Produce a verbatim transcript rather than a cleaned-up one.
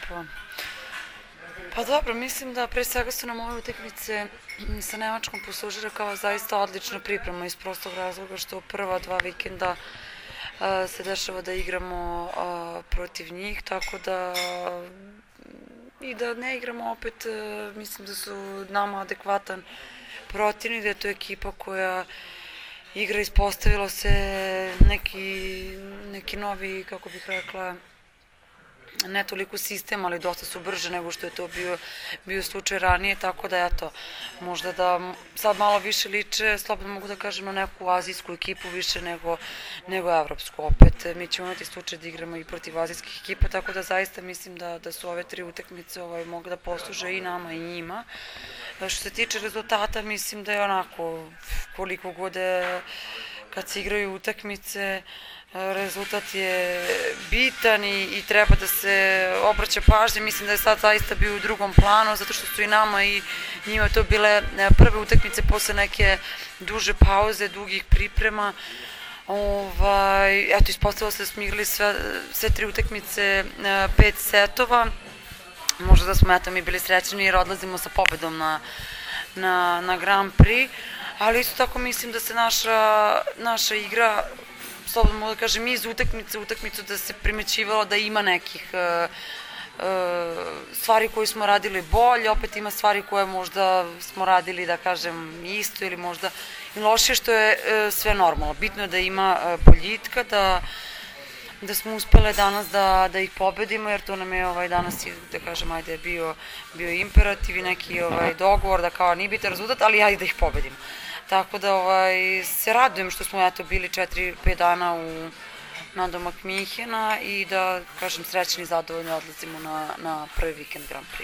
lepo. Pa dobro, mislim da pre svega su nam ove utakmice sa Nemačkom poslužile kao zaista odlična priprema iz prostog razloga što prva dva vikenda se dešava da igramo protiv njih, tako da i da ne igramo opet, mislim da su nama adekvatan protivnik, da je to ekipa koja igra, ispostavilo se neki, neki novi, kako bih rekla, ne toliko sistem, ali dosta su brže nego što je to bio, bio slučaj ranije, tako da eto, možda da sad malo više liče, slobodno mogu da kažem, na neku azijsku ekipu više nego, nego evropsku. Opet, mi ćemo imati slučaj da igramo i protiv azijskih ekipa, tako da zaista mislim da, da su ove tri utakmice ovaj, mogu da posluže i nama i njima. Što se tiče rezultata, mislim da je onako, koliko god je, kad se igraju utakmice, rezultat je bitan i, i treba da se obraća pažnje. Mislim da je sad zaista bio u drugom planu, zato što su i nama i njima to bile prve utakmice posle neke duže pauze, dugih priprema. Ovaj, eto, ispostavilo se da smo igrali sve, sve tri utakmice, pet setova. Možda da smo eto mi bili srećeni jer odlazimo sa pobedom na, na, na Grand Prix, ali isto tako mislim da se naša, naša igra, slobodno mogu da kažem, iz utakmice u utakmicu da se primećivalo da ima nekih uh, uh, stvari koje smo radili bolje, opet ima stvari koje možda smo radili, da kažem, isto ili možda i lošije, što je uh, sve normalno. Bitno je da ima uh, boljitka, da da smo uspele danas da, da ih pobedimo, jer to nam je ovaj, danas, da kažem, ajde, bio, bio imperativ i neki ovaj, dogovor da kao nije bitan rezultat, ali ajde da ih pobedimo. Tako da ovaj, se radujem što smo eto bili četiri pet dana u nadomak Minhena i da, kažem, srećni i zadovoljni odlazimo na, na prvi vikend Grand Prix.